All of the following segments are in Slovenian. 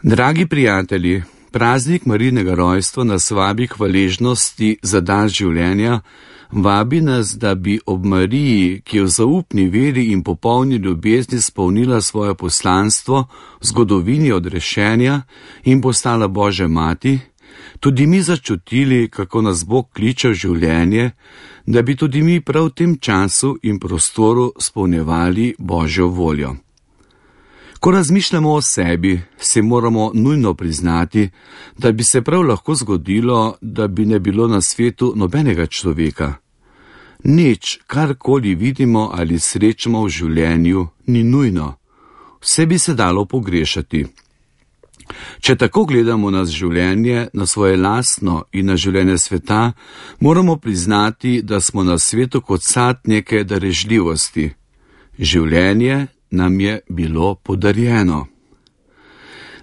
Dragi prijatelji, praznik Marijinega rojstva nas vabi k hvaležnosti za dar življenja, vabi nas, da bi ob Mariji, ki je v zaupni veri in popolni ljubezni spolnila svoje poslanstvo v zgodovini odrešenja in postala Božja mati, tudi mi začutili, kako nas Bog kliče v življenje, da bi tudi mi prav v tem času in prostoru spolnjevali Božjo voljo. Ko razmišljamo o sebi, si moramo nujno priznati, da bi se prav lahko zgodilo, da bi ne bilo na svetu nobenega človeka. Nič, karkoli vidimo ali srečamo v življenju, ni nujno. Vse bi se dalo pogrešati. Če tako gledamo na življenje, na svoje lastno in na življenje sveta, moramo priznati, da smo na svetu kot sad neke darežljivosti. Življenje nam je bilo podarjeno.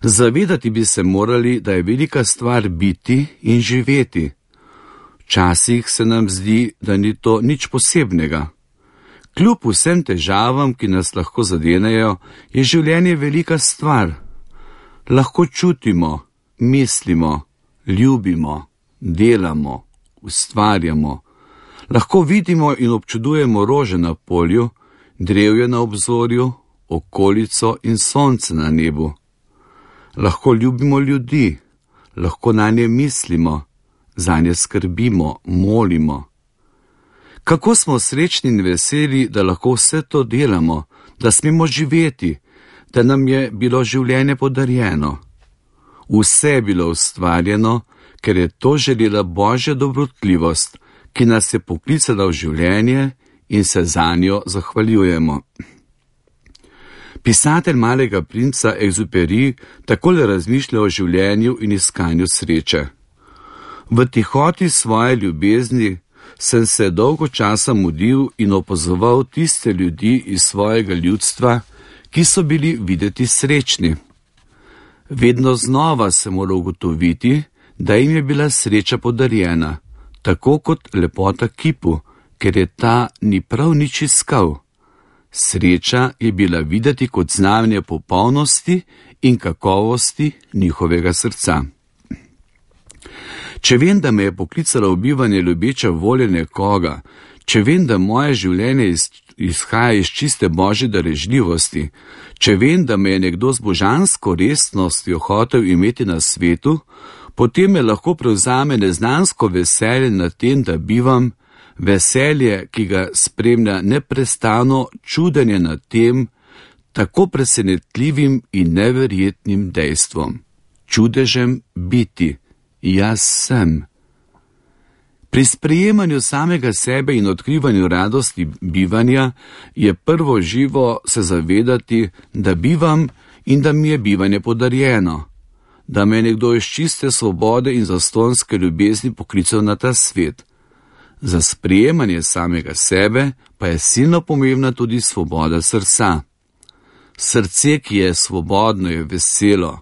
Zavedati bi se morali, da je velika stvar biti in živeti. Včasih se nam zdi, da ni to nič posebnega. Kljub vsem težavam, ki nas lahko zadenejo, je življenje velika stvar. Lahko čutimo, mislimo, ljubimo, delamo, ustvarjamo. Lahko vidimo in občudujemo rože na polju, drevje na obzorju, okolico in sonce na nebu. Lahko ljubimo ljudi, lahko nanje mislimo, zanje skrbimo, molimo. Kako smo srečni in veseli, da lahko vse to delamo, da smemo živeti, da nam je bilo življenje podarjeno. Vse je bilo ustvarjeno, ker je to želela Božja dobrotljivost, ki nas je poklicala v življenje in se zanjo zahvaljujemo. Pisatelj Malega princa Exupéry takole razmišlja o življenju in iskanju sreče. V tihoti svoje ljubezni sem se dolgo časa mudil in opazoval tiste ljudi iz svojega ljudstva, ki so bili videti srečni. Vedno znova sem moral ugotoviti, da jim je bila sreča podarjena, tako kot lepota kipu, ker je ta ni prav nič iskal. Sreča je bila videti kot znamenje popolnosti in kakovosti njihovega srca. Če vem, da me je poklicala v bivanje ljubeča volja nekoga, če vem, da moje življenje izhaja iz čiste Božje darežljivosti, če vem, da me je nekdo z božansko resnostjo hotel imeti na svetu, potem me lahko prevzame neznansko veselje nad tem, da bivam, veselje, ki ga spremlja neprestano čudenje nad tem, tako presenetljivim in neverjetnim dejstvom. Čudežem biti. Jaz sem. Pri sprejemanju samega sebe in odkrivanju radosti bivanja je prvo živo se zavedati, da bivam in da mi je bivanje podarjeno, da me je nekdo iz čiste svobode in zastonjske ljubezni poklical na ta svet. Za sprejemanje samega sebe pa je silno pomembna tudi svoboda srca. Srce, ki je svobodno, je veselo.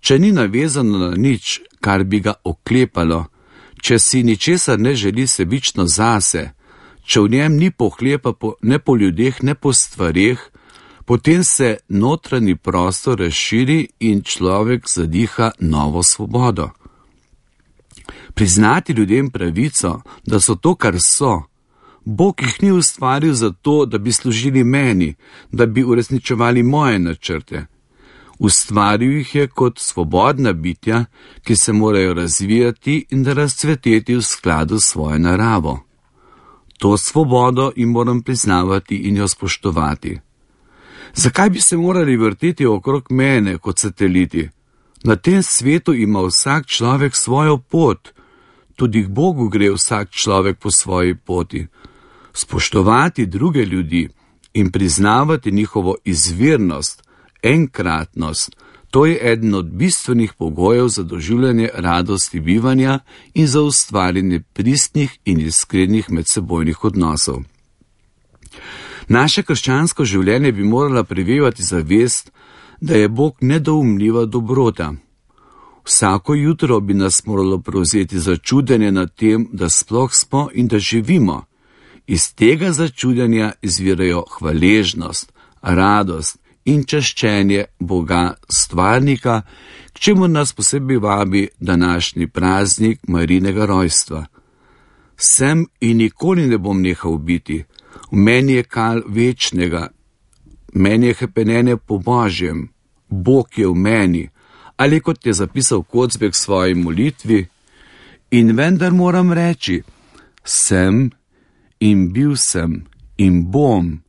Če ni navezano na nič, kar bi ga oklepalo, če si ničesar ne želi sebično zase, če v njem ni pohlepa ne po ljudeh, ne po stvareh, potem se notranji prostor razširi in človek zadiha novo svobodo. Priznati ljudem pravico, da so to, kar so. Bog jih ni ustvaril zato, da bi služili meni, da bi uresničevali moje načrte. Ustvaril jih je kot svobodna bitja, ki se morajo razvijati in razcveteti v skladu s svojo naravo. To svobodo jim moram priznavati in jo spoštovati. Zakaj bi se morali vrteti okrog mene kot sateliti? Na tem svetu ima vsak človek svojo pot, tudi k Bogu gre vsak človek po svoji poti. Spoštovati druge ljudi in priznavati njihovo izvirnost, enkratnost, to je eden od bistvenih pogojev za doživljanje radosti bivanja in za ustvarjanje pristnih in iskrenih medsebojnih odnosov. Naše krščansko življenje bi morala prevevati zavest, da je Bog nedoumljiva dobrota. Vsako jutro bi nas moralo prevzeti začudenje nad tem, da sploh smo in da živimo. Iz tega začudenja izvirajo hvaležnost, radost in čaščenje Boga stvarnika, k čemu nas posebej vabi današnji praznik Marijinega rojstva. Sem in nikoli ne bom nehal biti, v meni je kal večnega, meni je hrepenenje po Božjem, Bog je v meni, ali kot je zapisal Kocbek v svoji molitvi, in vendar moram reči, sem in bil sem in bom,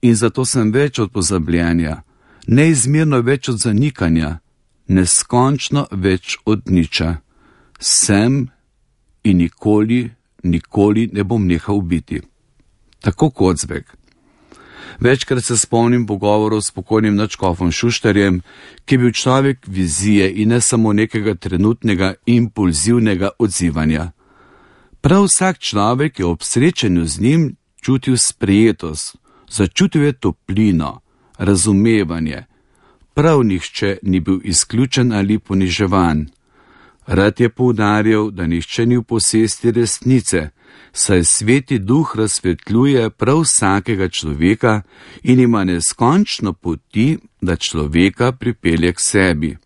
in zato sem več od pozabljenja, neizmerno več od zanikanja, neskončno več od niča. Sem in nikoli ne bom nehal biti. Tako Kocbek. Večkrat se spomnim pogovorov s pokojnim nadškofom Šuštarjem, ki je bil človek vizije in ne samo nekega trenutnega impulzivnega odzivanja. Prav vsak človek je ob srečanju z njim čutil sprejetost, začutil je toplino, razumevanje. Prav nihče ni bil izključen ali poniževan. Rad je poudarjal, da nihče ni v posesti resnice, saj Sveti Duh razsvetljuje prav vsakega človeka in ima neskončno poti, da človeka pripelje k sebi.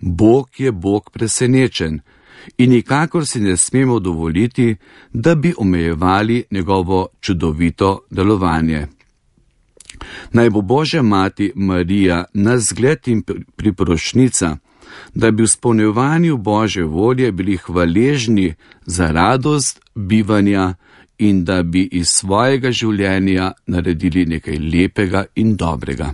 Bog je Bog presenečen in nikakor si ne smemo dovoliti, da bi omejevali njegovo čudovito delovanje. Naj bo Božja mati Marija nas zgled in priporočnica, da bi v izpolnjevanju Božje volje bili hvaležni za radost bivanja in da bi iz svojega življenja naredili nekaj lepega in dobrega.